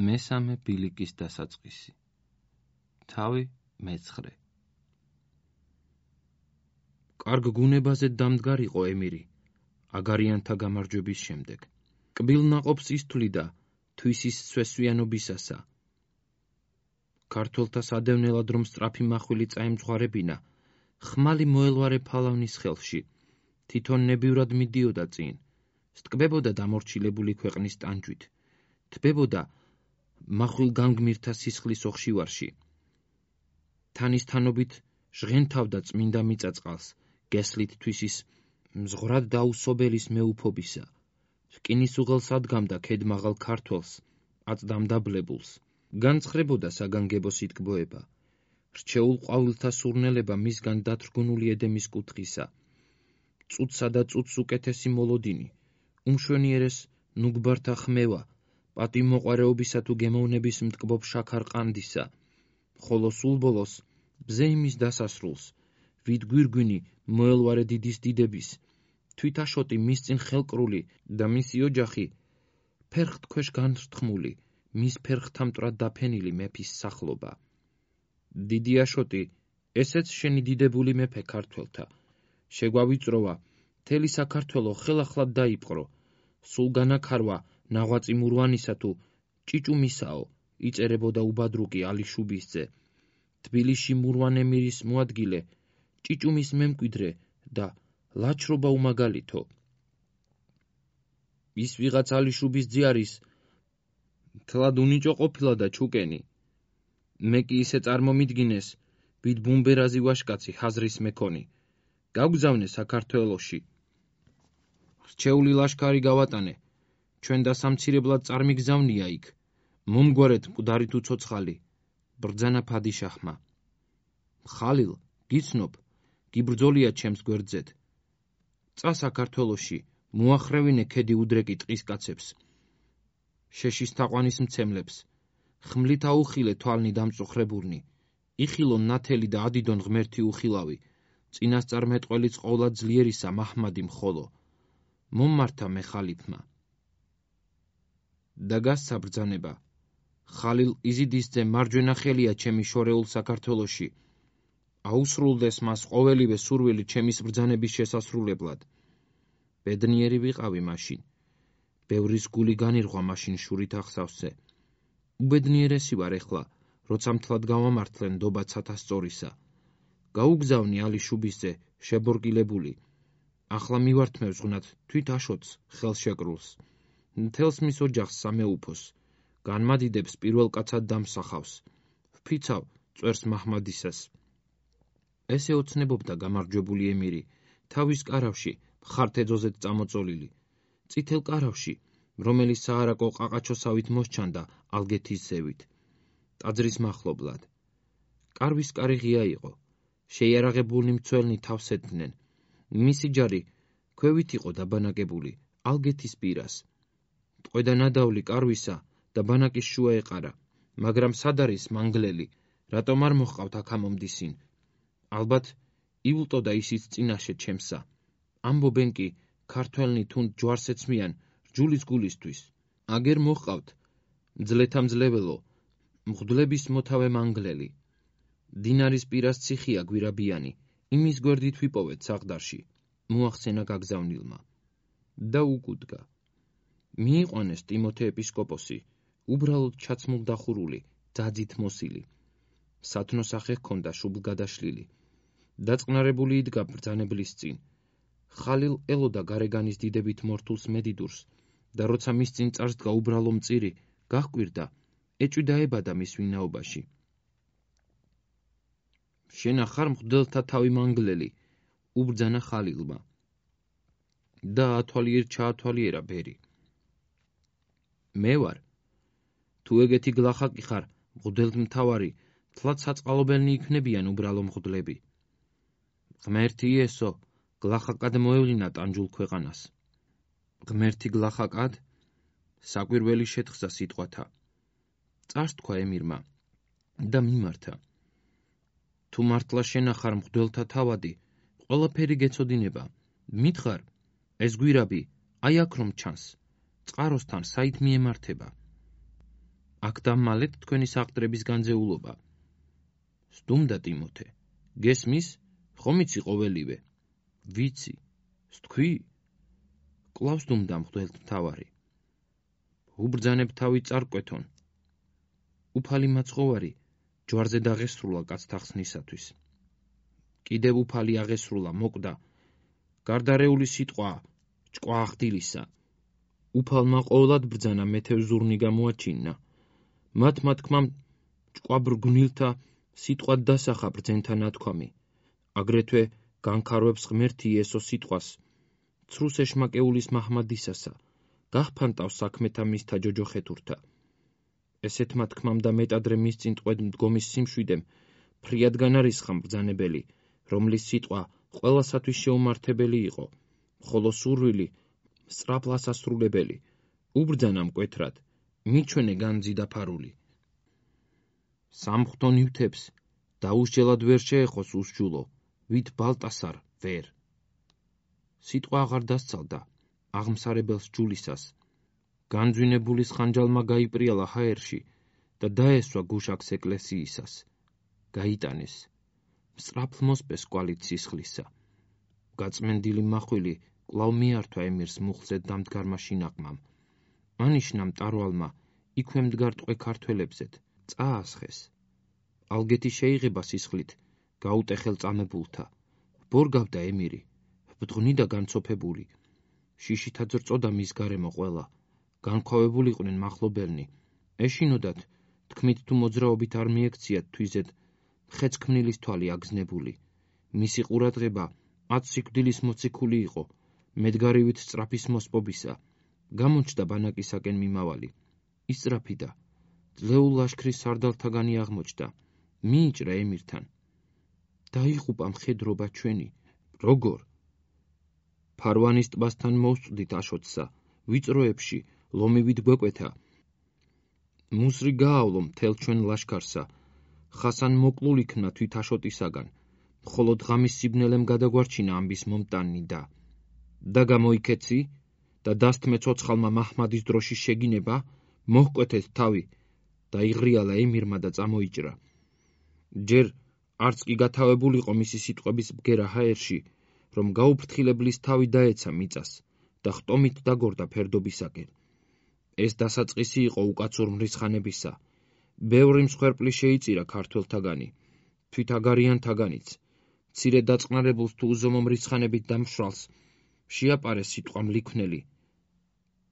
მესამე ბილიკის დასაწყისი. თავი მეცხრე. კარგ გუნებაზე დამდგარიყო ემირი, აგარიანთა გამარჯვების შემდეგ. კბილ ნაყოფს ისთვლიდა თვისის სვესვიანობისასა. ქართველთა სადევნელად რომ სწრაფი მახვილი წაემძღვარებინა, ხმალი მოელვარე ფალავნის ხელში, თვითონ ნებივრად მიდიოდა წინ, სტკბებოდა დამორჩილებული ქვეყნის ტანჯვით, თბებოდა მახვილ განგმირთა სისხლის ოხშივარში. თანისთანობით ჟღენთავდა წმინდა მიწაწყალს, გესლით თვისის მზღვრად დაუსობელის მეუფობისა. რკინის უღელს ადგამდა ქედმაღალ ქართველს, აწდამდა ბლებულს. განცხრებოდა საგანგებო სიტკბოება. რჩეულ ყვავილთა სურნელება მისგან დათრგუნული ედემის კუთხისა. წუთსა და წუთს უკეთესი მოლოდინი, უმშვენიერეს ნუგბართა ხმევა, პატივმოყვარეობისა თუ გემოვნების მტკბობ შაქარ ყანდისა, ხოლო სულ ბოლოს ბზე იმის დასასრულს, ვით გვირგვინი მოელვარე დიდის დიდების, თვითაშოტი მის წინ ხელკრული და მისი ოჯახი ფერხთ ქვეშ განრთქმული, მის ფერხთა მტრად დაფენილი მეფის სახლობა. დიდი აშოტი, ესეც შენი დიდებული მეფე ქართველთა, შეგვავიწროვა, მთელი საქართველო ხელახლად დაიპყრო, სულ განაქარვა ნაღვაწი მურვანისა თუ ჭიჭუმისაო, იწერებოდა უბადრუკი ალიშუბისძე. თბილისში მურვან ემირის მოადგილე, ჭიჭუმის მემკვიდრე და ლაჩრობა უმაგალითო. ის ვიღაც ალიშუბისძე არის, მთლად უნიჭო ყოფილა და ჩუკენი. მე კი ისე წარმომიდგინეს, ვით ბუმბერაზი ვაშკაცი ჰაზრის მექონი. გავგზავნე საქართველოში. რჩეული ლაშქარი გავატანე, ჩვენ დასამცირებლად წარმიგზავნია იქ. მომგვარეთ მკვდარი თუ ცოცხალი, ბრძანა ფადიშაჰმა. ხალილ, გიცნობ, გიბრძოლია ჩემს გვერდზეთ. წა საქართველოში, მოახრევინე ქედი უდრეკი ტყის კაცებს, შეშის თაყვანის მცემლებს, ხმლით აუხილე თვალნი დამწუხრებურნი, იხილონ ნათელი და ადიდონ ღმერთი უხილავი, წინასწარ მეტყველიც ყოლა ძლიერისა მაჰმადი მხოლო. მომმართა მე ხალიფმა. და გასცა ბრძანება. ხალილ იზიდისძე მარჯვენა ხელია ჩემი შორეულ საქართველოში. აუსრულდეს მას ყოველივე სურვილი ჩემის ბრძანების შესასრულებლად. ბედნიერი ვიყავი მაშინ. ბევრის გული განირღვა მაშინ შურით ახსავსე. უბედნიერესი ვარ ეხლა, როცა მთლად გავამართლენ ნდობა ცათასწორისა. გაუგზავნი ალიშუბისძე შებორკილებული. ახლა მივართმევ ზღვნად თვით აშოტს ხელშეკრულს. მთელს მის ოჯახს სამეუფოს. განმადიდებს პირველ კაცად დამსახავს. ვფიცავ წვერს მაჰმადისას. ესე ოცნებობდა გამარჯვებული ემირი, თავის კარავში, მხართეძოზეთ წამოწოლილი, წითელ კარავში, რომელიც საარაკო ყაყაჩოსავით მოსჩანდა ალგეთის ზევით, ტაძრის მახლობლად. კარვის კარი ღია იყო, შეიარაღებულნი მცველნი თავს ედგნენ. მისი ჯარი ქვევით იყო დაბანაკებული ალგეთის პირას. ტყვედა ნადავლი კარვისა და ბანაკის შუა ეყარა, მაგრამ სად არის მანგლელი, რატომ არ მოჰყავთ აქამომდისინ? ალბათ ივლტოდა ისიც წინაშე ჩემსა. ამბობენ კი ქართველნი თუნდ ჯვარს ეცმიან რჯულის გულისთვის. აგერ მოჰყავთ მძლეთა მძლეველო, მღვდლების მოთავე მანგლელი. დინარის პირას ციხია გვირაბიანი, იმის გვერდით ვიპოვეთ საღდარში, მოახსენა გაგზავნილმა. და უკუდგა. მიიყვანეს ტიმოთე ეპისკოპოსი, უბრალოდ ჩაცმულდახურული, ძაძით მოსილი. სათნოსახე ჰქონდა შუბლგადაშლილი. დაწყნარებული იდგა ბრძანებლის წინ. ხალილ ელოდა გარეგანის დიდებით მორთულს მედიდურს და როცა მის წინ წარსდგა უბრალო მწირი, გაჰკვირდა, ეჭვიდაებადა მის ვინაობაში. შენა ხარ მღვდელთა თავი მანგლელი, უბრძანა ხალილმა. და ჩაათვალიერა ბერი. მე ვარ. თუ ეგეთი გლახაკი ხარ, მღვდელმთავარი, თლად საწყალობელნი იქნებიან უბრალო მღვდლები. ღმერთი იესო, გლახაკად მოევლინა ტანჯულ ქვეყანას. ღმერთი გლახაკად? საკვირველი შეთხზა სიტყვათა. წარს თქვა ემირმა და მიმართა. თუ მართლა შენა ხარ მღვდელთა თავადი, ყველაფერი გეცოდინება. მითხარ, ეს გვირაბი, აი აქ რომ ჩანს, წყაროსთან საით მიემართება. აქ და მალეთ თქვენი საყდრების განძეულობა. სტუმდა ტიმოთე, გესმის? ხომ იცი ყოველივე? ვიცი. სთქვი? კვლავ სტუმდა მღვდელმთავარი. უბრძანებ თავი წარკვეთონ. უფალი მაცხოვარი ჯვარზე დაღესრულა კაცთა ხსნისათვის. კიდევ უფალი აღესრულა, მოკვდა. გარდარეული სიტყვა ჭკვა ახდილისა. უფალმა ყოვლად ბრძანა მეთევზურნი გამოაჩინა. მათ თქმამ ჭკვა ბრგვნილთა სიტყვად დასახა ბრძენთა ნათქვამი. აგრეთვე განქარვებს ღმერთი იესო სიტყვას. ცრუს ეშმაკეულის მაჰმადისასა, გახფანტავს საქმეთა მისთა ჯოჯოხეთურთა. ესეთმა თქმამ და მეტადრე მის წინ ტყვედ მდგომის სიმშვიდემ ფრიად განარისხა მბრძანებელი, რომლის სიტყვა ყველასათვის შეუმართებელი იყო, ხოლო სურვილი სწრაფლას ასრულებელი. უბრძანა მკვეთრად, მიჩვენე განძი დაფარული. სამღვთო ნივთებს დაუსჯელად ვერ შეეხოს უსჯულო, ვით ბალტასარ ვერ. სიტყვა აღარ დასცალდა აღმსარებელს ჯულისას. განძვინებულის ხანჯალმა გაიპრიალა ჰაერში და დაესვა გუშაქს ეკლესიისას. გაიტანეს. სწრაფლ მოსპეს კვალი ცისხლისა. გაწმენდილი მახვილი კვლავ მიართვა ემირს მუხლზე დამდგარმა შინაყმამ. ანიშნა მტარვალმა იქვე მდგარ ტყვე ქართველებზეთ, წაასხეს. ალგეთი შეიღება სისხლით, გაუტეხელ წამებულთა. ბორგავდა ემირი, ბდღნი და განცოფებული. შიშითაც რწოდა მის გარემო ყველა. განქვავებულიყვნენ მახლობელნი. ეშინოდათ, თქმით თუ მოძრაობით არ მიექციათ თვიზედ, ხეცქმნილის თვალი აგზნებული. მისი ყურადღება 10 სიკვდილის მოციქული იყო, მედგარივით სწრაფის მოსპობისა. გამოჩნდა ბანაკისაკენ მიმავალი. ისწრაფიდა. ძლეულ ლაშქრის სარდალთაგანი აღმოჩნდა. მიიჭრა ემირთან. დაიღუპა მხედრობა ჩვენი. როგორ? ფარვანის ტბასთან მოვსწვდით აშოტსა, ვიწროებში, ლომივით გვეკვეთა. მუსრი გაავლო მთელ ჩვენ ლაშქარსა. ხასან მოკლულ იქნა თვით აშოტისაგან, მხოლოდ ღამის სიბნელემ გადაგვარჩინა ამბის მომტანი და გამოიქეცი და დასთმე ცოცხალმა მაჰმადის დროშის შეგინება, მოჰკვეთეთ თავი და იღრიალა ემირმა და წამოიჭრა. ჯერ არც კი გათავებულიყო მისი სიტყვების ბგერა ჰაერში, რომ გაუფრთხილებლის თავი დაეცა მიწას და ხტომით დაგორდა ფერდობისაკენ. ეს დასაწყისი იყო უკაცურ მრისხანებისა. ბევრი მსხვერპლი შეიწირა ქართველთაგანი, თვით აგარიანთაგანიც. მცირე დაწყნარებულს თუ უზომო მრისხანებით დამშრალს შეაპარეს სიტყვა მლიქვნელი.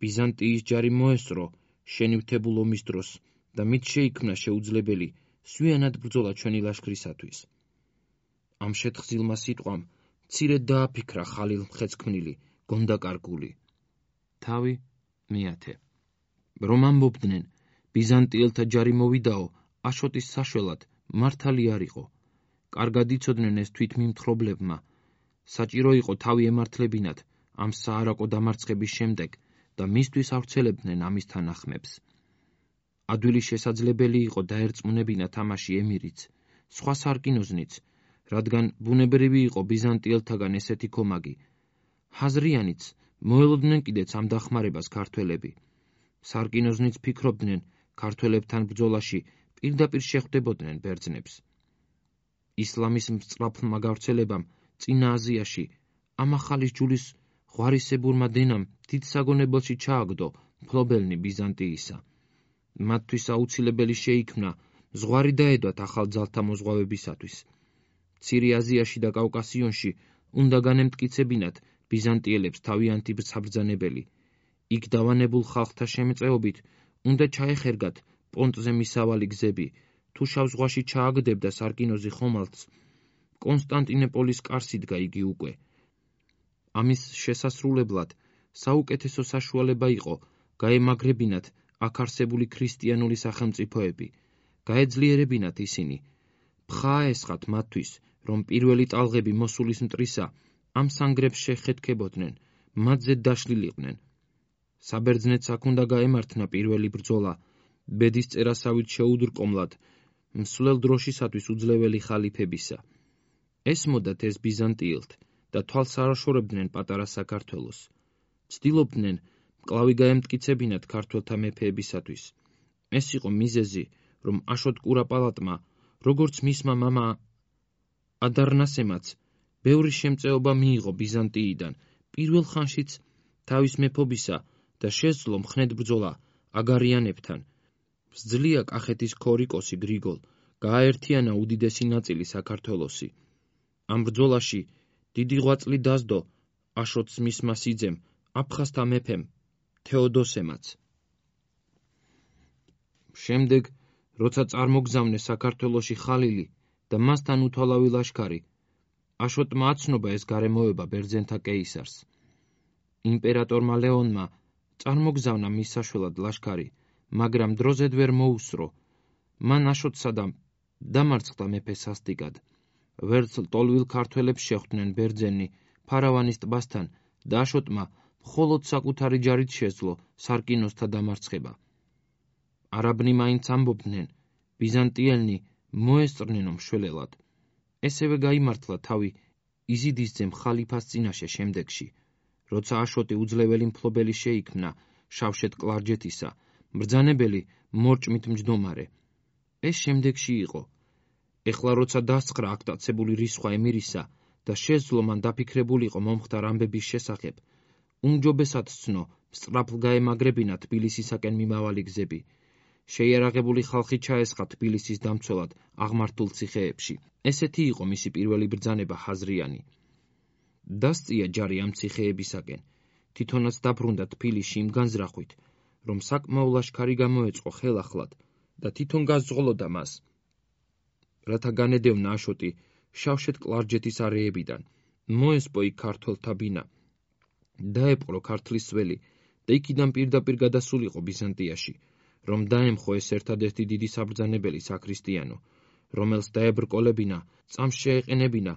ბიზანტიის ჯარი მოესწრო შენივთებულ ომის დროს და მით შეიქმნა შეუძლებელი სვიანად ბრძოლა ჩვენი ლაშქრისათვის. ამ შეთხზილმა სიტყვამ მცირედ დააფიქრა ხალილ მხეცქმნილი, გონდაკარგული. თავი მეათე. რომ ამბობდნენ, ბიზანტიელთა ჯარი მოვიდაო, აშოტის საშველად, მართალი არ იყო. კარგად იცოდნენ ეს თვითმიმთხრობლებმა. საჭირო იყო თავი ემართლებინათ ამ საარაკო დამარცხების შემდეგ და მისთვის ავრცელებდნენ ამის თანახმებს. ადვილი შესაძლებელი იყო დაერწმუნებინათ ამაში ემირიც, სხვა სარკინოზნიც, რადგან ბუნებრივი იყო ბიზანტიელთაგან ესეთი კომაგი. ჰაზრიანიც მოელოდნენ კიდეც ამ დახმარებას ქართველები. სარკინოზნიც ფიქრობდნენ, ქართველებთან ბრძოლაში პირდაპირ შეხვდებოდნენ ბერძნებს. ისლამის მსწრაფლმა გავრცელებამ წინა აზიაში ამ ახალის ჯულის ღვარისებურმა დენამ დიდ საგონებელში ჩააგდო მფლობელნი ბიზანტიისა. მათთვის აუცილებელი შეიქმნა ზღვარი დაედვათ ახალ ძალთა მოზღვავებისათვის. მცირე აზიაში და კავკასიონში უნდა განემტკიცებინათ ბიზანტიელებს თავიანთი საბრძანებელი. იქ დავანებულ ხალხთა შემწეობით უნდა ჩაეხერგათ პონტზე მისავალი გზები, თუ შავ ზღვაში ჩააგდებდა სარკინოზი ხომალდს, კონსტანტინოპოლის კარს იდგა იგი უკვე. ამის შესასრულებლად საუკეთესო საშუალება იყო გაემაგრებინათ აქ არსებული ქრისტიანული სახელმწიფოები, გაეძლიერებინათ ისინი. ფხა ესხათ მათთვის, რომ პირველი ტალღები მოსულის მტრისა ამ სანგრებს შეხეთქებოდნენ, მათზე დაშლილიყვნენ. საბერძნეთს აქ უნდა გაემართნა პირველი ბრძოლა, ბედის წერასავით შეუდრკომლად, მსვლელ დროშისათვის უძლეველი ხალიფებისა. ესმოდათ ეს ბიზანტიელთ და თვალს არაშორებდნენ პატარა საქართველოს. ცდილობდნენ მკლავი გაემტკიცებინათ ქართველთა მეფეებისათვის. ეს იყო მიზეზი, რომ აშოტ კურაპალატმა, როგორც მისმა მამა ადარნასემაც, ბევრი შემწეობა მიიღო ბიზანტიიდან, პირველ ხანშიც თავის მეფობისა და შესძლო მხნედ ბრძოლა აგარიანებთან. სძლია კახეთის ქორიკოსი გრიგოლ გააერთიანა უდიდესი ნაწილი საქართველოსი. ამ ბრძოლაში დიდი ღვაწლი დასდო აშოტს მისმა სიძემ, აფხაზთა მეფემ თეოდოსემაც. შემდეგ, როცა წარმოგზავნეს საქართველოში ხალილი და მასთან უთვალავი ლაშქარი, აშოტმა აცნობა ეს გარემოება ბერძენთა კეისარს. იმპერატორმა ლეონმა წარმოგზავნა მის საშველად ლაშქარი, მაგრამ დროზედ ვერ მოუსრო. მან აშოტსა და დამარცხდა მეფე სასტიკად. ვერც ლტოლვილ ქართველებს შეხვდნენ ბერძენი ფარავანის ტბასთან და აშოტმა მხოლოდ საკუთარი ჯარით შეძლო სარკინოსთა დამარცხება. არაბნი მაინც ამბობდნენ, ბიზანტიელნი მოესწრნენო მშველელად. ესევე გაიმართლა თავი იზიდისძემ ხალიფას წინაშე შემდეგში, როცა აშოტი უძლეველი მფლობელი შეიქმნა შავშეთ კლარჯეთისა, მბრძანებელი მორჭმით მჯდომარე. ეს შემდეგში იყო. ეხლა როცა დასცხრა აქტაცებული რისხვა ემირისა და შესძლო მან დაფიქრებულიყო მომხდარ ამბების შესახებ, უმჯობესად სცნო სწრაფლ გაემაგრებინა თბილისისაკენ მიმავალი გზები. შეიარაღებული ხალხი ჩაესხა თბილისის დამცველად აღმართულ ციხეებში. ესეთი იყო მისი პირველი ბრძანება ჰაზრიანი. დასწია ჯარი ამ ციხეებისაკენ, თვითონაც დაბრუნდა თბილისში იმ განზრახვით, რომ საკმაო ლაშქარი გამოეწყო ხელახლად და თვითონ გაზღოლოდა მას, რათა განედევნა აშოტი შავშეთ კლარჯეთის არეებიდან, მოესპო იქ ქართველთა ბინა, დაეპყრო ქართლის ველი და იქიდან პირდაპირ გადასულიყო ბიზანტიაში, რომ დაემხო ეს ერთადერთი დიდი საბრძანებელი საქრისტიანო, რომელს დაებრკოლებინა, წამს შეეყენებინა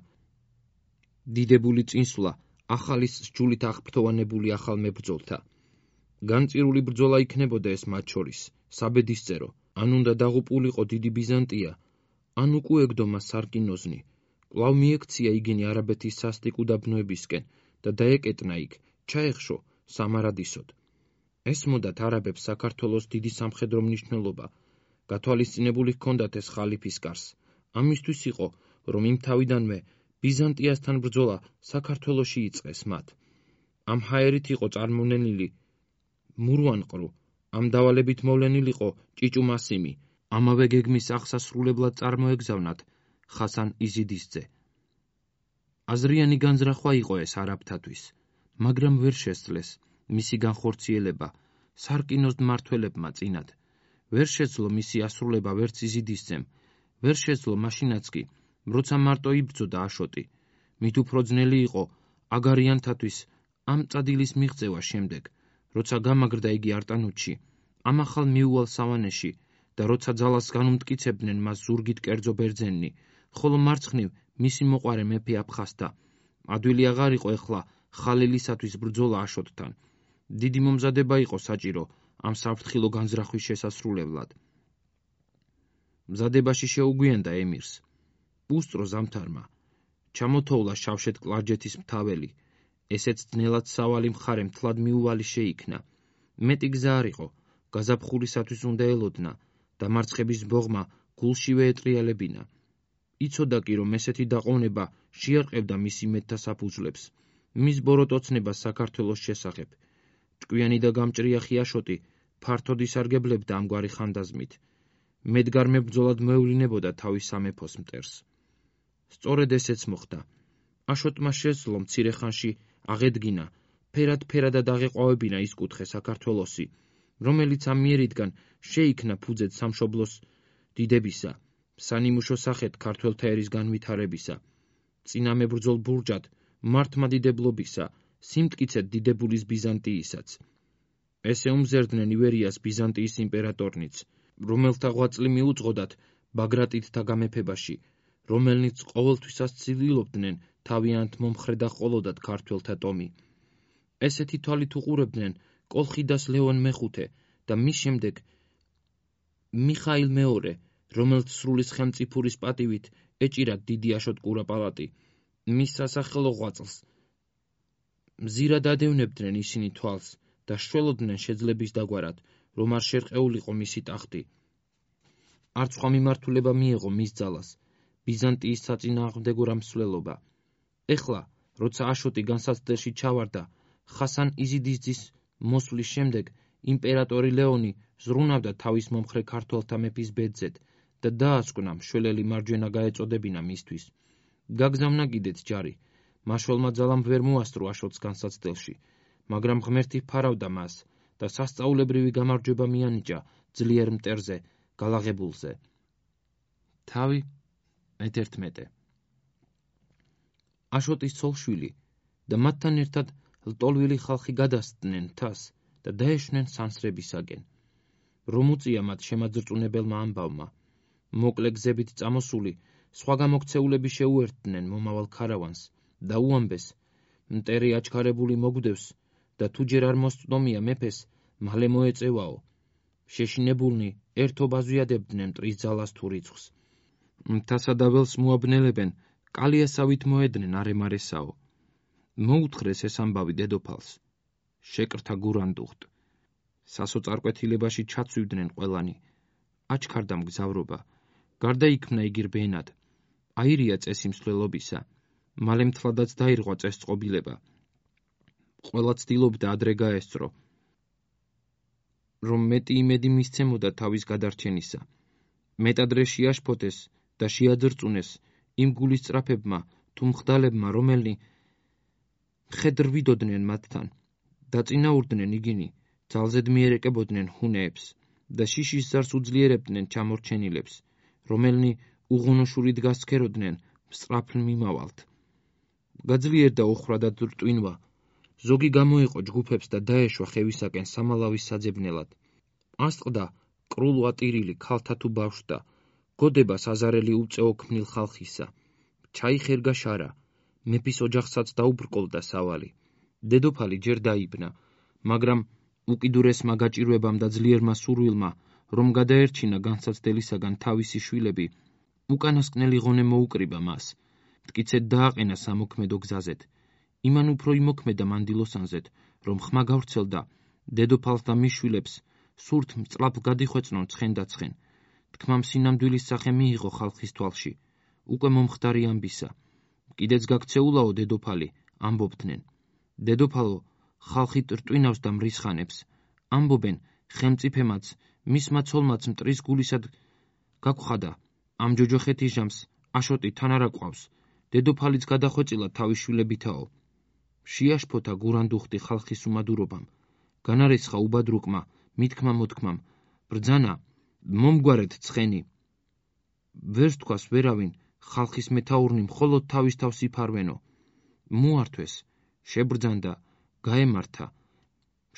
დიდებული წინსვლა ახალის სჯულით აღფრთოვანებული ახალ მებრძოლთა. განწირული ბრძოლა იქნებოდა ეს მათ შორის, საბედისწერო, ან უნდა დაღუპულიყო დიდი ბიზანტია, ან უკუეგდო მას სარკინოზნი. კვლავ მიექცია იგინი არაბეთის სასტიკ უდაბნოებისკენ და დაეკეტნა იქ, ჩაეხშო სამარადისოდ. ესმოდათ არაბებს საქართველოს დიდი სამხედრო მნიშვნელობა, გათვალისწინებული ჰქონდათ ეს ხალიფის კარს. ამისთვის იყო, რომ იმ თავიდანვე ბიზანტიასთან ბრძოლა საქართველოში იწყეს მათ. ამ ჰაერით იყო წარმონენილი მურვანყრუ, ამ დავალებით მოვლენილიყო ჭიჭუმასიმი, ამავე გეგმის აღსასრულებლად წარმოეგზავნათ ხასან იზიდისძე. აზრიანი განზრახვა იყო ეს არაბთათვის, მაგრამ ვერ შესძლეს მისი განხორციელება სარკინოს მმართველებმა წინათ. ვერ შეძლო მისი ასრულება ვერც იზიდისძემ, ვერ შეძლო მაშინაც კი, როცა მარტო იბრძოდა აშოტი. მით უფრო ძნელი იყო აგარიანთათვის ამ წადილის მიღწევა შემდეგ, როცა გამაგრდა იგი არტანუჩში, ამ ახალ მიუვალ სავანეში და როცა ძალას განუმტკიცებდნენ მას ზურგით კერძო ბერძენნი, ხოლო მარცხნივ მისი მოყვარე მეფე აფხაზთა. ადვილი აღარ იყო ეხლა ხალილისათვის ბრძოლა აშოტთან. დიდი მომზადება იყო საჭირო ამ საფრთხილო განზრახვის შესასრულებლად. მზადებაში შეუგვიანდა ემირს. უსწრო ზამთარმა ჩამოთოვლა შავშეთ კლარჯეთის მთაველი, ესეც ძნელად სავალი მხარე მთლად მიუვალი შეიქმნა. მეტი გზა არ იყო, გაზაფხულისათვის უნდა ელოდნა, დამარცხების ბოღმა გულშივე ეტრიალებინა. იცოდა კი, რომ ესეთი დაყოვნება შეარყევდა მის იმედთა საფუძვლებს, მის ბოროტოცნებას საქართველოს შესახებ. ჭკვიანი და გამჭრიახი აშოტი ფართოდ ისარგებლებდა ამგვარი ხანდაზმით. მედგარ მებრძოლად მოევლინებოდა თავის სამეფოს მტერს. სწორედ ესეც მოხდა. აშოტმა შესძლო მცირე ხანში აღედგინა, ფერად-ფერადად აღეყვავებინა ის კუთხე საქართველოსი, რომელიც ამ მიერიდან შეიქმნა ფუძედ სამშობლოს დიდებისა, სანიმუშო სახეთ ქართველთა ერის განვითარებისა, წინა მებრძოლ ბურჯად მართლმადიდებლობისა, სიმტკიცედ დიდებულის ბიზანტიისაც. ესე უმზერდნენ ივერიას ბიზანტიის იმპერატორნიც, რომელთა ღვაწლი მიუძღოდათ ბაგრატიდთა გამეფებაში, რომელნიც ყოველთვისაც ცდილობდნენ თავიანთ მომხრე და ყოლოდათ ქართველთა ტომი. ესეთი თვალით უყურებდნენ კოლხიდას ლეონ მეხუთე და მის შემდეგ მიხაილ მეორე, რომელთ სრული ხელმწიფურის პატივით ეჭირათ დიდი აშოტ კურაპალატი. მის სასახელო ღვაწლს მზირად ადევნებდნენ ისინი თვალს და შველოდნენ შეძლების დაგვარად, რომ არ შერყეულიყო მისი ტახტი. არც სხვა მიმართულება მიეღო მის ძალას, ბიზანტიის საწინააღმდეგო რამსვლელობა. ეხლა, როცა აშოტი განსაცდელში ჩავარდა, ხასან იზიდისძის მოსვლის შემდეგ იმპერატორი ლეონი ზრუნავდა თავის მომხრე ქართველთა მეფის ბედზედ და დაასკვნა მშველელი მარჯვენა გაეწოდებინა მისთვის. გაგზავნა კიდეც ჯარი. მაშველმა ძალამ ვერ მოასწრო აშოტს განსაცდელში, მაგრამ ღმერთი ფარავდა მას და სასწაულებრივი გამარჯვება მიანიჭა ძლიერ მტერზე, გალაღებულზე. თავი მე-11. აშოტის ცოლ-შვილი და მათთან ერთად ლტოლვილი ხალხი გადასცდნენ მთას და დაეშვნენ სანსრებისაკენ. რომ უწია მათ შემაძრწუნებელმა ამბავმა. მოკლე გზებით წამოსული სხვა გამოქცეულები შეუერთდნენ მომავალ ქარავანს და უამბეს, მტერი აჩქარებული მოგვდევს და თუ ჯერ არ მოსწდომია მეფეს, მალე მოეწევაო. შეშინებულნი ერთობ აზვიადებდნენ მტრის ძალას თუ რიცხვს. მთასა და ველს მოაბნელებენ, კალიასავით მოედნენ არემარესაო. მოუთხრეს ეს ამბავი დედოფალს. შეკრთა გურანდუხტ. სასოწარკვეთილებაში ჩაცვივდნენ ყველანი. აჩქარდა მგზავრობა. გარდაიქმნა იგი რბენად. აირია წესი მსვლელობისა. მალე მთლადაც დაირღვა წესწყობილება. ყველა ცდილობდა ადრე გაესწრო, რომ მეტი იმედი მისცემოდა თავის გადარჩენისა. მეტადრე შეაშფოთეს და შეაძრწუნეს იმ გულისწრაფებმა თუ მხდალებმა, რომელნი მხედრვიდოდნენ მათთან. დაწინაურდნენ იგინი, ძალზედ მიერეკებოდნენ ჰუნეებს და შიშის ზარს უძლიერებდნენ ჩამორჩენილებს, რომელნი უღუნოშურით გასცქეროდნენ მსწრაფლ მიმავალთ. გაძლიერდა ოხრა და რტვინვა. ზოგი გამოიყო ჯგუფებს და დაეშვა ხევისაკენ სამალავის საძებნელად. ასწყდა კრულ ვატირილი ქალთა თუ ბავშვთა, გოდებას აზარელი უწეო ქმნილ ხალხისა. ჩაიხერგა შარა, მეფის ოჯახსაც დაუბრკოლდა სავალი. დედოფალი ჯერ დაიბნა, მაგრამ უკიდურესმა გაჭირვებამ და ძლიერმა სურვილმა, რომ გადაერჩინა განსაცდელისაგან თავისი შვილები, უკანასკნელი ღონე მოუკრიბა მას. მტკიცედ დააყენა სამოქმედო გზაზეთ. იმან უფრო იმოქმედა მანდილოსანზეთ, რომ ხმა გავრცელდა დედოფალს და მის შვილებს სურთ მწლად გადიხვეწნონ ცხენდაცხენ. თქმა მსინამდვილის სახე მიიღო ხალხის თვალში. უკვე მომხდარი ამბისა. კიდეც გაქცეულაო დედოფალი, ამბობდნენ. დედოფალო, ხალხი რტვინავს და მრისხანებს. ამბობენ, ხელმწიფემაც, მისმა ცოლმაც მტრის გულისად გაგხვდა. ამ ჯოჯოხეთის ჟამს აშოტი თან არა ყავს. დედოფალიც გადახვეწილა თავის შვილებითაო. შეაშფოთა გურანდუხტი ხალხის უმადურობამ. განარისხა უბადრუკმა, მითქმა მოთქმამ. ბრძანა, მომგვარეთ ცხენი. ვერს თქვას ვერავინ, ხალხის მეთაურნი მხოლოდ თავის თავს იფარვენო. მოართვეს, შებრძანდა, გაემართა.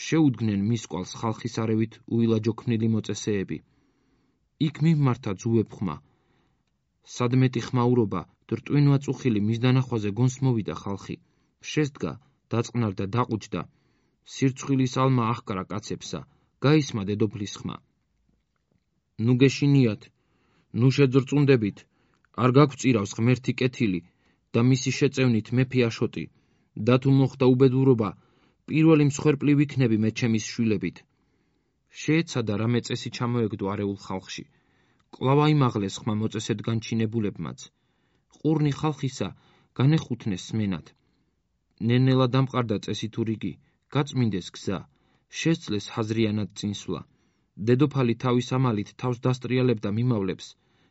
შეუდგნენ მის კვალს ხალხის არევით უილაჯოქმნილი მოწესეები. იქ მიმართა ძუვებხმა. სადმეტი ხმაურობა, რტვინვა წუხილი მის დანახვაზე გონს მოვიდა ხალხი. შესდგა, დაწყნარდა, დაყუჯდა. სირცხვილის ალმა აღკრა კაცებსა, გაისმა დედოფლის ხმა. ნუ გეშინიათ, ნუ შეძრწუნდებით, არ გაგვწირავს ღმერთი კეთილი და მისი შეწევნით მეფე აშოტი, და თუ მოხდა უბედურობა, პირველი მსხვერპლი ვიქნები მე ჩემის შვილებით. შეეცადა რამე წესი ჩამოეგდო არეულ ხალხში. კვლავ აიმაღლეს ხმა მოწესედ განჩინებულებმაც. ყურნი ხალხისა განეხუთნეს სმენად. ნელ-ნელა დამყარდა წესი თუ რიგი, გაწმინდეს გზა, შესძლეს ჰაზრიანად წინსვლა. დედოფალი თავის ამალით თავს დასტრიალებდა მიმავლებს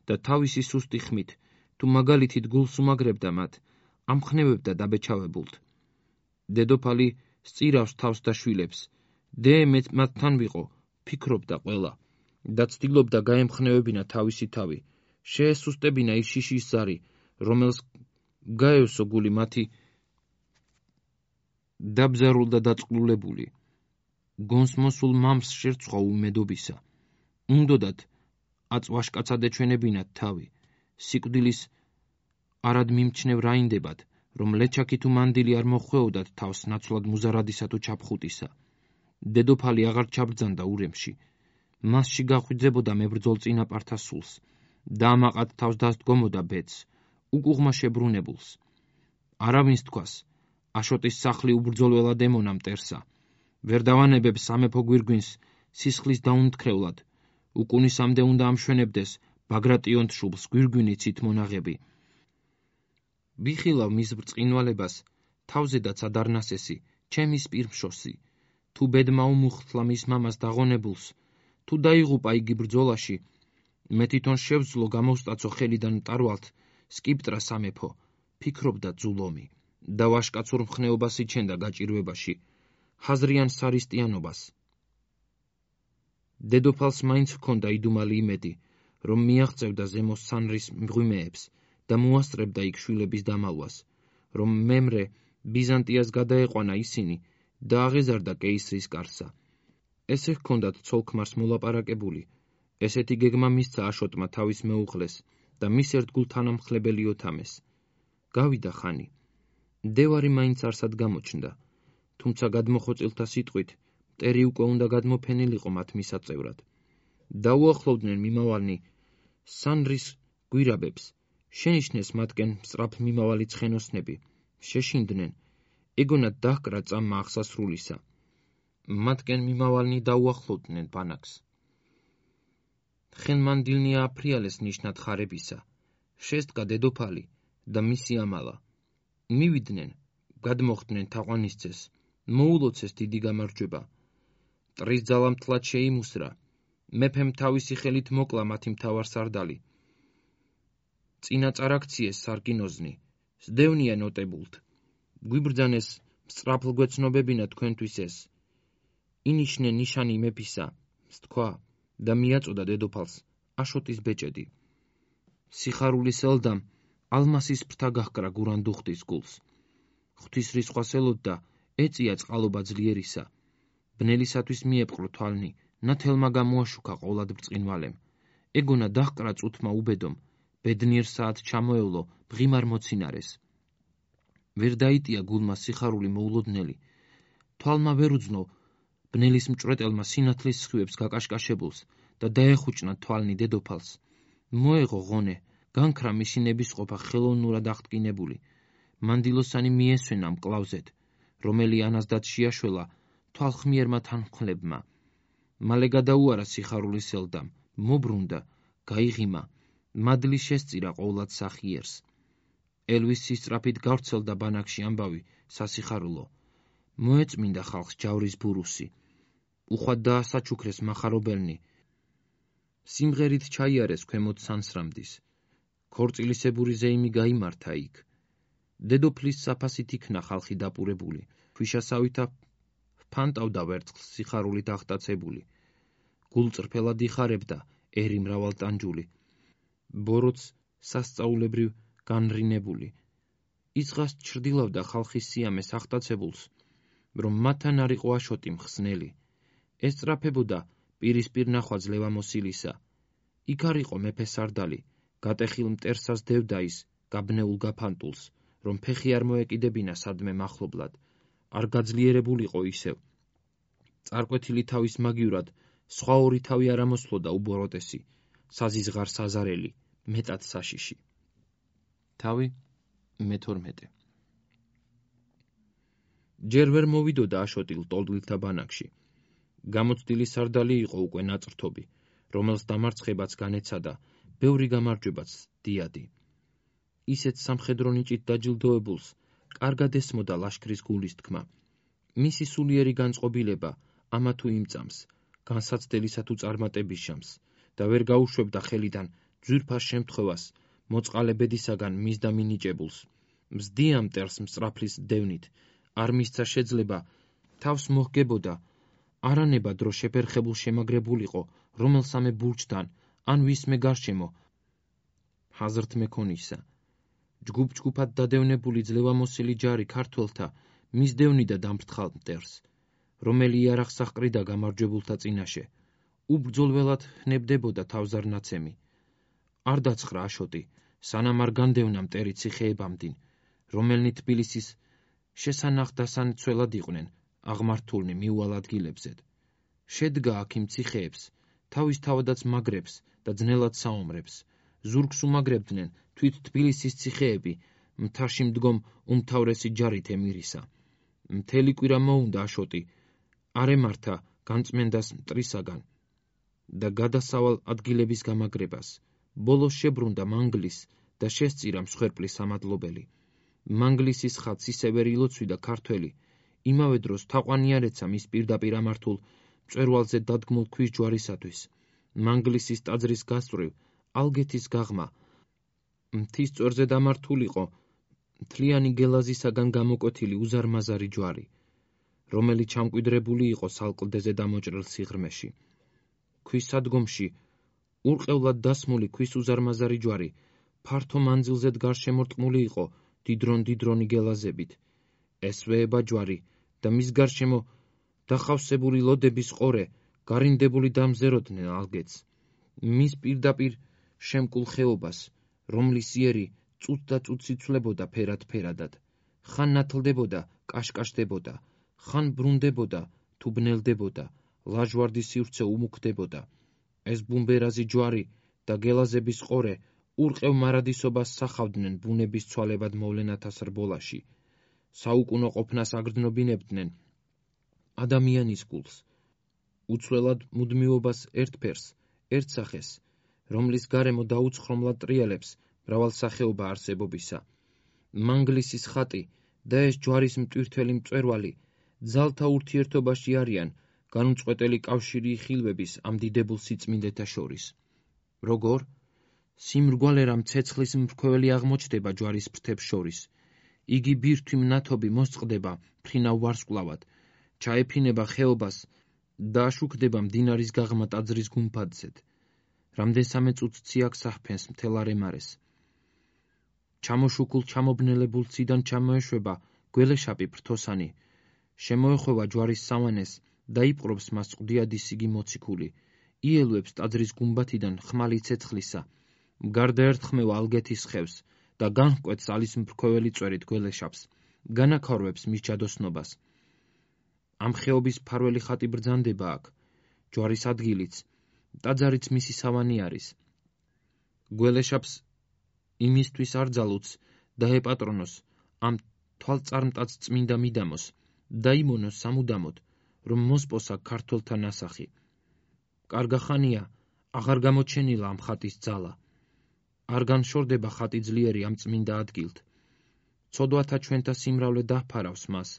და თავისი სუსტი ხმით, თუ მაგალითით გულს უმაგრებდა მათ, ამხნევებდა დაბეჩავებულთ. დედოფალი სწირავს თავს და შვილებს. დე მათთან ვიყო, ფიქრობდა ყველა და ცდილობდა გაემხნევებინა თავისი თავი, შეესუსტებინა ის შიშის ზარი, რომელს გაევსო გული მათი დაბზარულ და დაწყლულებული. გონს მოსულ მამს შერცხვა უმედობისა. უნდოდათ აწვაშკაცად ეჩვენებინათ თავი, სიკვდილის არად მიმჩნევ რაინდებად, რომ ლეჩაკი თუ მანდილი არ მოხვეოდათ თავს ნაცვლად მუზარადისა თუ ჩაფხუტისა. დედოფალი აღარ ჩაბრძანდა ურემში. მასში გახვიძებოდა მებრძოლ წინაპართა სულს და ამაყად თავს დასდგომოდა ბედს, უკუღმა შებრუნებულს. არავინს თქვას, აშოტის სახლი უბრძოლველად ემონა მტერსა. ვერ დავანებებ სამეფო გვირგვინს სისხლის დაუნთქრევლად, უკუნისამდე უნდა ამშვენებდეს ბაგრატიონთ შუბლს გვირგვინით ცით მონაღები. ვიხილავ მის ბრწყინვალებას, თავზედაც ადარნასესი, ჩემის პირმშოსი, თუ ბედმა უმუხთლა მის მამას დაღონებულს, თუ დაიღუპა იგი ბრძოლაში, მე თვითონ შევძლო გამოვსტაცო ხელიდან მტარვალთ სკიპტრა სამეფო, ფიქრობდა ძულომი და ვაშკაცურ მხნეობას იჩენდა გაჭირვებაში, ხაზრიან სარისტიანობას. დედოფალს მაინც ჰქონდა იდუმალი იმედი, რომ მიაღწევდა ზემო სანრის მღვიმეებს და მოასწრებდა იქ შვილების დამალვას, რომ მემრე ბიზანტიას გადაეყვანა ისინი და აღეზარდა კეისრის კარსა. ესე ჰქონდათ ცოლ-ქმარს მოლაპარაკებული, ესეთი გეგმა მისცა აშოტმა თავის მეუღლეს და მის ერთგულ თანამხლებელი ოთამეს. გავიდა ხანი. დევარი მაინც არსად გამოჩნდა, თუმცა გადმოხოცილთა სიტყვით მტერი უკვე უნდა გადმოფენილიყო მათ მისაწევრად. დაუახლოვდნენ მიმავალნი სანრის გვირაბებს, შენიშნეს მათკენ სწრაფმიმავალი ცხენოსნები, შეშინდნენ, ეგონათ დაჰკრა წამმა აღსასრულისა. მათკენ მიმავალნი დაუახლოვდნენ ბანაკს. ხენმანდილნია აფრიალეს ნიშნად ხარებისა, შესდგა დედოფალი და მისი ამალა. მივიდნენ, გადმოხდნენ თაყვანისცეს, მოულოცეს დიდი გამარჯვება. მტრის ძალამთლად შეიმუსრა, მეფემ თავისი ხელით მოკლა მათი მთავარსარდალი. წინა წარაქციეს სარკინოზნი, სდევნია ნოტებულთ, გვიბრძანეს სწრაფლგვეცნობებინა თქვენთვის ეს. ინიშნე ნიშანი მეფისა, სთქვა და მიაწოდა დედოფალს აშოტის ბეჭედი. სიხარულის ელდამ ალმასის ფრთა გაჰკრა გურანდუხტის გულს. ღვთისრისხვას ელოდდა, ეწია წყალობა ძლიერისა. ბნელისათვის მიეპყრო თვალნი, ნათელმა გამოაშუქა ყოლად ბრწყინვალემ. ეგონა დაჰკრა წუთმა უბედომ, ბედნიერ საათ ჩამოევლო ბღიმარ მოცინარეს. ვერ დაიტია გულმა სიხარული მოულოდნელი, თვალმა ვერ უძნო ბნელის მჭვრეტელმა სინათლის სხივებს გაკაშკაშებულს და დაეხუჭნა თვალნი დედოფალს. მოეღო ღონე, განქრა მისი ნებისყოფა ხელოვნურად აღტკინებული. მანდილოსანი მიესვენა მკლავზეთ, რომელი ანაზდად შეაშველა თვალხმიერმა თანმხლებმა. მალე გადაუარა სიხარულის ელდამ, მობრუნდა, გაიღიმა, მადლი შესწირა ყოვლად სახიერს. ელვის სისწრაფით გავრცელდა ბანაკში ამბავი სასიხარულო. მოეწმინდა ხალხს ჯავრის ბურუსი. უხვად დაასაჩუქრეს მახარობელნი. სიმღერით ჩაიარეს ქვემოთ სანსრამდის. ქორწილისებური ზეიმი გაიმართა იქ. დედოფლის საფასით იქნა ხალხი დაპურებული, ქვიშასავითა ფანტავდა ვერცხლს სიხარულით აღტაცებული. გულწრფელად იხარებდა ერი მრავალტანჯული. ბოროტს სასწაულებრივ განრინებული. იცღას ჩრდილავდა ხალხის სიამეს აღტაცებულს, რომ მათთან არ იყო აშოტი მხსნელი. ესწრაფებოდა პირისპირ ნახვაც ლევამოსილისა. იქ არ იყო მეფე სარდალი, გატეხილ მტერსას დევდა ის გაბნეულ გაფანტულს, რომ ფეხი არ მოეკიდებინა სადმე მახლობლად, არ გაძლიერებულიყო ისევ. წარკვეთილი თავის მაგივრად, სხვა ორი თავი არ ამოსვლოდა უბოროტესი, საზიზღარ საზარელი, მეტად საშიში. თავი მე-12. ჯერ ვერ მოვიდოდა აშოტილ ტოლტვილთა ბანაკში. გამოცდილი სარდალი იყო უკვე ნაწრთობი, რომელს დამარცხებაც განეცადა, ბევრი გამარჯვებაც დიადი. ისეთ სამხედრო ნიჭით დაჯილდოებულს კარგად ესმოდა ლაშქრის გულის თქმა. მისი სულიერი განწყობილება ამა თუ იმ წამს, განსაცდელისა თუ წარმატების შამს და ვერ გაუშვებდა ხელიდან ძვირფას შემთხვევას, მოწყალე ბედისაგან მისდა მინიჭებულს. მზდია მტერს მსწრაფლის დევნით, არ მისცა შეძლება, თავს მოჰგებოდა, არანება დრო შეფერხებულ შემაგრებულიყო, რომელსამე ბურჯთან, ან ვისმე გარშემო, ჰაზრთ მეკონისა. ჯგუფ-ჯგუფად დადევნებული ძლევამოსილი ჯარი ქართველთა მისდევნიდა დამფრთხალ მტერს, რომელი იარაღს აჰყრიდა გამარჯვებულთა წინაშე. უბრძოლველად ჰნებდებოდა თავზარნაცემი. არ დაცხრა აშოტი, სანამ არ განდევნა მტერი ციხეებამდინ, რომელნი თბილისის შესანახ-დასანცველად იყვნენ აღმართულნი მიუვალ ადგილებზედ. შედგა აქ იმ ციხეებს, თავის თავადაც მაგრებს და ძნელად საომრებს. ზურგს უმაგრებდნენ თვით თბილისის ციხეები, მთაში მდგომ უმთავრესი ჯარით ემირისა. მთელი კვირა მოუნდა აშოტი, არ ემართა განწმენდას მტრისაგან და გადასავალ ადგილების გამაგრებას. ბოლოს შებრუნდა მანგლის და შესწირა მსხვერპლის სამადლობელი. მანგლისის ხატს ისევე ილოცვიდა ქართველი, იმავე დროს თაყვანიარეცა მის პირდაპირ ამართულ მწვერვალზე დადგმულ ქვის ჯვარისათვის. მანგლისის ტაძრის გასწვრივ ალგეთის გაღმა მთის წვერზე დამართულიყო მთლიანი გელაზისაგან გამოკვეთილი უზარმაზარი ჯვარი, რომელიც ჩამკვიდრებული იყო სალკლდეზე დამოჭრილ სიღრმეში. ქვის სადგომში ურყევლად დასმული ქვის უზარმაზარი ჯვარი ფართო მანძილზედ გარშემორტყმული იყო დიდრონ-დიდრონი გელაზებით. ესვეება ჯვარი და მის გარშემო დახავსებული ლოდების ყორე გარინდებული დამზეროდნენ ალგეთს. მის პირდაპირ შემკულ ხეობას, რომლის იერი წუთ და წუთ იცვლებოდა ფერად-ფერადად, ხან ნათლდებოდა, კაშკაშდებოდა, ხან ბრუნდებოდა თუ ბნელდებოდა, ლაჟვარდი სივრცე უმუქდებოდა. ეს ბუმბერაზი ჯვარი და გელაზების ყორე ურყევ მარადისობას სახავდნენ ბუნების ცვალებად მოვლენათა სრბოლაში. საუკუნო ყოფნას აგრძნობინებდნენ ადამიანის გულს, უცვლელად მუდმივობას ერთ ფერს, ერთ სახეს, რომლის გარემო დაუცხრომლად ტრიალებს მრავალსახეობა არსებობისა. მანგლისის ხატი და ეს ჯვარის მტვირთველი მწვერვალი ძალთა ურთიერთობაში არიან განუწყვეტელი კავშირი ხილვების ამ დიდებულ სიწმინდეთა შორის. როგორ? სიმრგვალე რამ ცეცხლის მრქვეველი აღმოჩნდება ჯვარის ფრთებს შორის. იგი ბირთვი მნათობი მოსწყდება ფრინავ ვარსკვლავად, ჩაეფინება ხეობას და აშუქდება მდინარის გაღმა ტაძრის გუმბათზედ. რამდენსამე წუთს ციაკს ახფენს მთელ არემარეს. ჩამოშუქულ ჩამობნელებულ ციდან ჩამოეშვება გველეშაპი ფრთოსანი, შემოეხვევა ჯვარის სავანეს და იპყრობს მას ყდიადი სიგი მოციქული, იელვებს ტაძრის გუმბათიდან ხმალი ცეცხლისა, გარდაერთხმევა ალგეთის ხევს და განჰკვეთს ალის მრქვეველი წვერით გველეშაპს, განაქარვებს მის ჯადოსნობას. ამ ხეობის მფარველი ხატი ბრძანდება აქ, ჯვარის ადგილიც, ტაძარიც მისი სავანი არის. გველეშაპს იმისთვის არ ძალუც და ეპატრონოს ამ თვალწარმტაც წმინდა მიდამოს, დაიმონოს სამუდამოდ, რომ მოსპოსა ქართველთა ნასახი. კარგახანია აღარ გამოჩენილა ამ ხატის ძალა. არ განშორდება ხატი ძლიერი ამ წმინდა ადგილთ. ცოდვათა ჩვენთა სიმრავლე დაჰფარავს მას,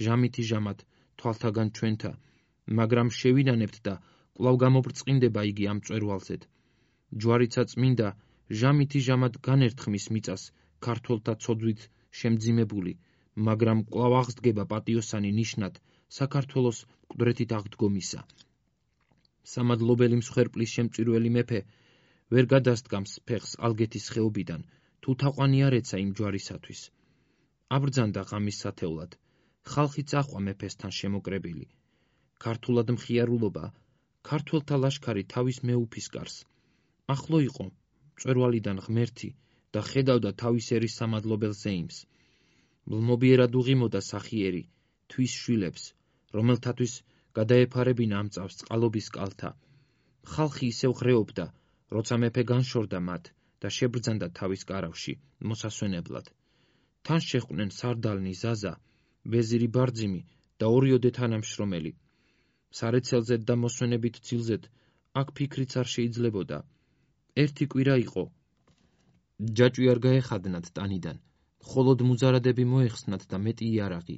ჟამითი ჟამად თვალთაგან ჩვენთა, მაგრამ შევინანებთ და კვლავ გამობრწყინდება იგი ამ მწვერვალზედ. ჯვარიცა წმინდა ჟამითი ჟამად განერთხმის მიწას ქართველთა ცოდვით შემძიმებული, მაგრამ კვლავ აღსდგება პატიოსანი ნიშნად საქართველოს მკვდრეთით აღდგომისა. სამადლობელი მსხვერპლის შემწირველი მეფე ვერ გადასდგამს ფეხს ალგეთის ხეობიდან, თუ თაყვანიარეცა იმ ჯვარისათვის. აბრძანდა ღამის სათევლად, ხალხი წაჰყვა მეფესთან შემოკრებილი. ქართულად მხიარულობა, ქართველთა ლაშქარი თავის მეუფისკარს. ახლო იყო მწვერვალიდან ღმერთი და ხედავდა თავის ერის სამადლობელ ზეიმს. მლმობიერად უღიმოდა სახიერი, თვის შვილებს, რომელთათვის გადაეფარებინა ამ წავს წყალობის კალთა. ხალხი ისევ ღრეობდა, როცა მეფე განშორდა მათ და შებრძანდა თავის კარავში, მოსასვენებლად. თან შეჰყვნენ სარდალნი ზაზა, ვეზირი ბარძიმი და ორიოდე თანამშრომელი. სარეცელზედ და მოსვენებით ძილზედ აქ ფიქრიც არ შეიძლებოდა. ერთი კვირა იყო. ჯაჭვი არ გაეხადნათ ტანიდან, მხოლოდ მუზარადები მოეხსნათ და მეტი იარაღი.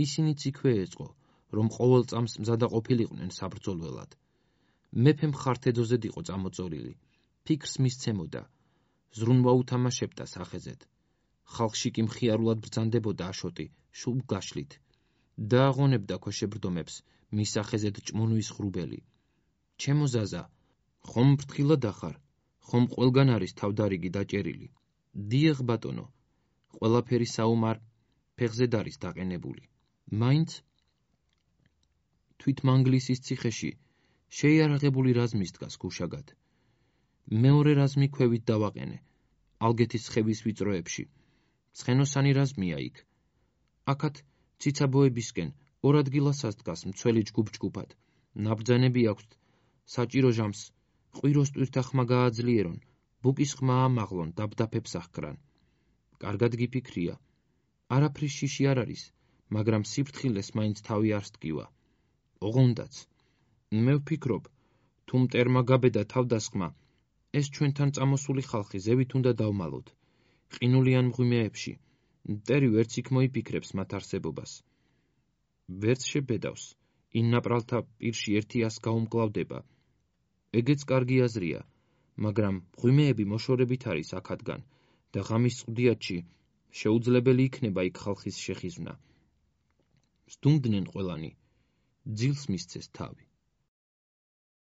ისინიც იქვე ეწყო, რომ ყოველ წამს მზადაყოფილიყვნენ საბრძოლველად. მეფე მხართედოზედ იყო წამოწორილი, ფიქრს მისცემოდა, ზრუნვა უთამაშებდა სახეზედ. ხალხში კი მხიარულად ბრძანდებოდა აშოტი, შუბ გაშლით. დააღონებდა ქვეშებრდომებს მის სახეზედ ჭმუნვის ღრუბელი. ჩემო ზაზა, ხომ ფრთხილად ახარ, ხომ ყველგან არის თავდარიგი დაჭერილი. დიახ ბატონო, ყველაფერი საომარ ფეხზედ არის დაყენებული. მაინც თვით მანგლისის ციხეში შეიარაღებული რაზმის დგას გუშაგად. მეორე რაზმი ქვევით დავაყენე, ალგეთის ხევის ვიწროებში. ცხენოსანი რაზმია იქ. აქაც ციცაბოებისკენ ორ ადგილასაც დგას მცველი ჯგუფ-ჯგუფად. ნაბრძანები აქვთ საჭირო ჟამს, ყვიროს ტვირთა ხმა გააძლიერონ, ბუკის ხმა ამაღლონ, დაბდაფებს აღკრან. კარგად გიფიქრია. არაფრის შიში არ არის, მაგრამ სიფრთხილეს მაინც თავი არ სდგივა. ოღონდაც მე ვფიქრობ, თუ მტერმა გაბედა თავდასხმა, ეს ჩვენთან წამოსული ხალხი ზევით უნდა დავმალოთ. ყინულიან მღვიმეებში მტერი ვერც იქ მოიფიქრებს მათ არსებობას. ვერც შებედავს, იმ ნაპრალთა პირში ერთი ას გაუმკლავდება. ეგეც კარგი აზრია, მაგრამ მღვიმეები მოშორებით არის აქადგან და ღამის წვდიათში შეუძლებელი იქნება იქ ხალხის შეხიზვნა. სდუმდნენ ყველანი, ძილს მისცეს თავი.